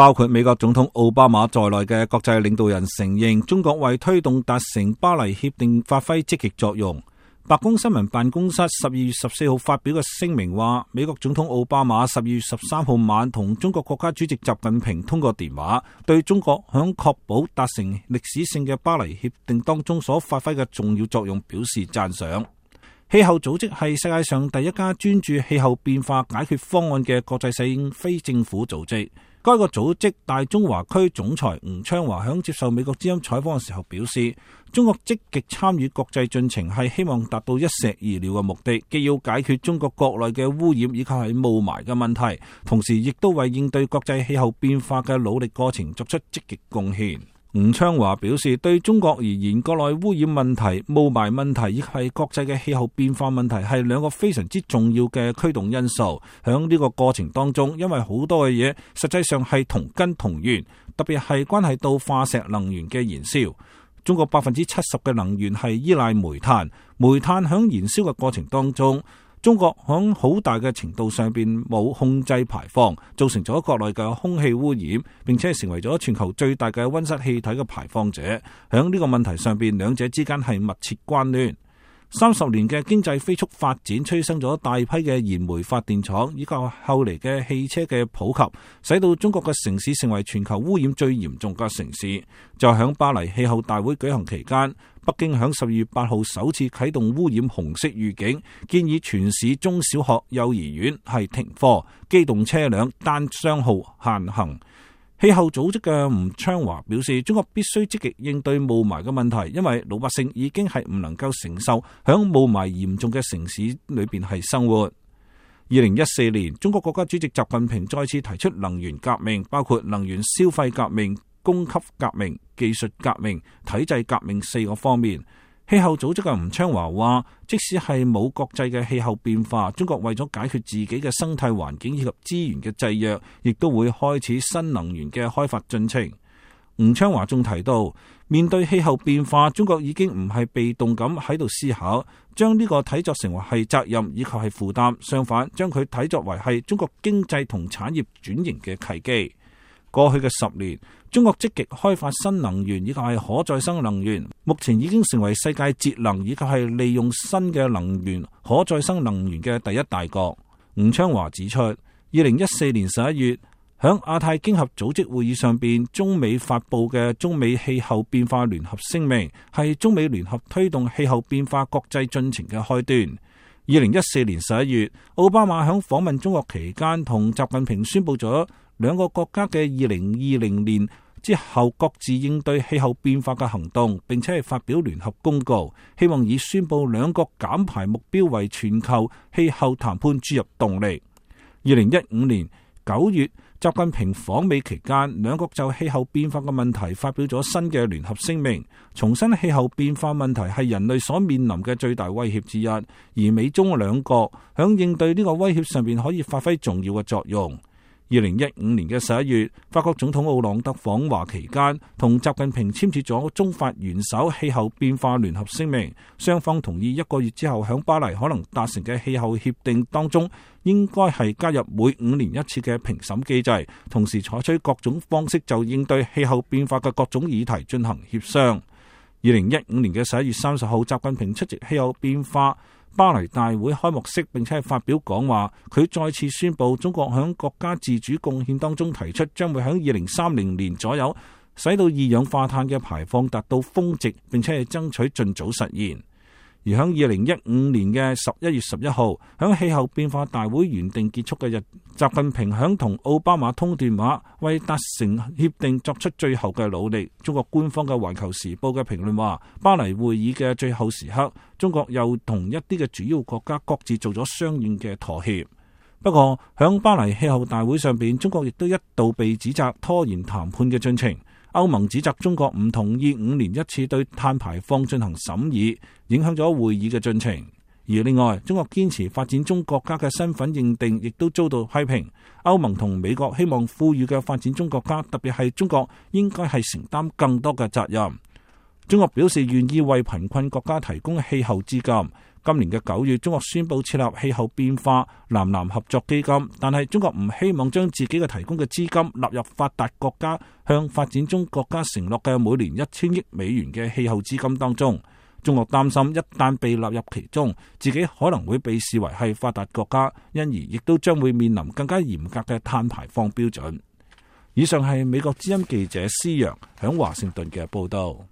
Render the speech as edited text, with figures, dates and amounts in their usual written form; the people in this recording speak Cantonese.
包括美國總統奧巴馬在內嘅國際領導人承認中國為推動達成巴黎協定發揮積極作用。白宮新聞辦公室12月14號發表嘅聲明話，美國總統奧巴馬12月13號晚同中國國家主席習近平通過電話，對中國響確保達成歷史性嘅巴黎協定當中所發揮嘅重要作用表示讚賞。氣候組織係世界上第一家專注氣候變化解決方案嘅國際性非政府組織。該個組織大中華區總裁吳昌華響接受美國之音採訪嘅時候表示，中國積極參與國際進程係希望達到一石二鳥嘅目的，既要解決中國國內嘅污染以及係霧霾嘅問題，同時亦都為應對國際氣候變化嘅努力過程作出積極貢獻。吳昌華表示，對中國而言，國內污染問題、霧霾問題以及係國際嘅氣候變化問題係兩個非常之重要嘅驅動因素。響呢個過程當中，因為好多嘅嘢實際上係同根同源，特別係關係到化石能源嘅燃燒。中國70%嘅能源係依賴煤炭，煤炭響燃燒嘅過程當中，中國響好大嘅程度上邊冇控制排放，造成咗國內嘅空氣污染，並且係成為咗全球最大嘅溫室氣體嘅排放者。響呢個問題上邊，兩者之間係密切關聯。30年嘅經濟飛速發展，催生咗大批嘅燃煤發電廠，以及後嚟嘅汽車嘅普及，使到中國嘅城市成為全球污染最嚴重嘅城市。就響巴黎氣候大會舉行期間，北京響12月8號首次啟動污染紅色預警，建議全市中小學、幼兒園係停課，機動車輛單雙號限行。氣候組織嘅吳昌華表示，中國必須積極應對霧霾嘅問題，因為老百姓已經係唔能夠承受響霧霾嚴重嘅城市裏邊係生活。2014年，中國國家主席習近平再次提出能源革命，包括能源消費革命、供給革命、技術革命、體制革命4個方面。氣候組織嘅吳昌華話，即使係冇國際嘅氣候變化，中國為咗解決自己嘅生態環境以及資源嘅制約，亦都會開始新能源嘅開發進程。吳昌華仲提到，面對氣候變化，中國已經唔係被動咁喺度思考，將呢個睇作成為係責任以及係負擔，相反將佢睇作為係中國經濟同產業轉型嘅契機。過去嘅10年，中國積極開發新能源以及係可再生能源，目前已經成為世界節能以及係利用新嘅能源、可再生能源嘅第一大國。吳昌華指出，2014年11月，響亞太經合組織會議上邊，中美發布嘅中美氣候變化聯合聲明，係中美聯合推動氣候變化國際進程嘅開端。2014年11月，奧巴馬響訪問中國期間，同習近平宣布咗兩個國家嘅2020年之後各自應對氣候變化嘅行動，並且係發表聯合公告，希望以宣布兩國減排目標為全球氣候談判注入動力。2015年9月，習近平訪美期間，兩國就氣候變化嘅問題發表咗新嘅聯合聲明，重申氣候變化問題係人類所面臨嘅最大威脅之一，而美中兩國響應對呢個威脅上面可以發揮重要嘅作用。2015年嘅11月，法國總統奧朗德訪華期間，同習近平簽署咗中法元首氣候變化聯合聲明，雙方同意1個月之後響巴黎可能達成嘅氣候協定當中，應該係加入每5年1次嘅評審機制，同時採取各種方式就應對氣候變化嘅各種議題進行協商。2015年嘅11月30號，習近平出席氣候變化巴黎大會開幕式，並且係發表講話，佢再次宣布中國響國家自主貢獻當中提出，將會響2030年左右使到二氧化碳嘅排放達到峰值，並且係爭取盡早實現。而響2015年嘅11月11號，響氣候變化大會原定結束嘅日，習近平響同奧巴馬通電話，為達成協定作出最後嘅努力。中國官方嘅《環球時報》嘅評論話，巴黎會議嘅最後時刻，中國又同一啲嘅主要國家各自做咗相應嘅妥協。不過響巴黎氣候大會上邊，中國亦都一度被指責拖延談判嘅進程。歐盟指責中國唔同意5年1次對碳排放進行審議，影響咗會議嘅進程。而另外，中國堅持發展中國家嘅身份認定，亦都遭到批評。歐盟同美國希望富裕嘅發展中國家，特別係中國，應該係承擔更多嘅責任。中國表示願意為貧困國家提供氣候資金，今年嘅9月，中國宣布設立氣候變化南南合作基金，但係中國唔希望將自己嘅提供嘅資金納入發達國家向發展中國家承諾嘅每年1000億美元嘅氣候資金當中。中國擔心一旦被納入其中，自己可能會被視為係發達國家，因而亦都將會面臨更加嚴格嘅碳排放標準。以上係美國之音記者施洋響華盛頓嘅報道。